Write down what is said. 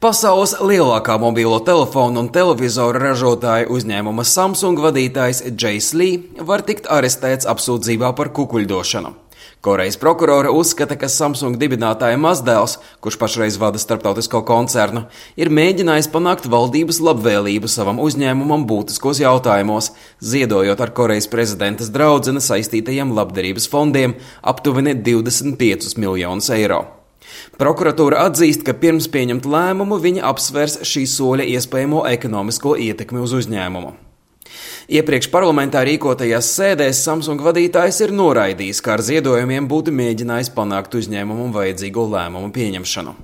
Pasaules lielākā mobilo telefonu un televizoru ražotāja uzņēmuma Samsung vadītājs Džejs Lī var tikt arestēts apsūdzībā par kukuļdošanu. Korejas prokurora uzskata, ka Samsung dibinātāja mazdēls, kurš pašreiz vada starptautisko koncernu, ir mēģinājis panākt valdības labvēlību savam uzņēmumam būtiskos jautājumos, ziedojot ar Korejas prezidentas draudzene saistītajiem labdarības fondiem aptuveni 25 miljonus eiro. Prokuratūra atzīst, ka pirms pieņemt lēmumu viņa apsvers šī soļa iespējamo ekonomisko ietekmi uz uzņēmumu. Iepriekš parlamentā rīkotajās sēdēs Samsung vadītājs ir noraidījis, ka ar ziedojumiem būtu mēģinājis panākt uzņēmumu vajadzīgo lēmumu pieņemšanu.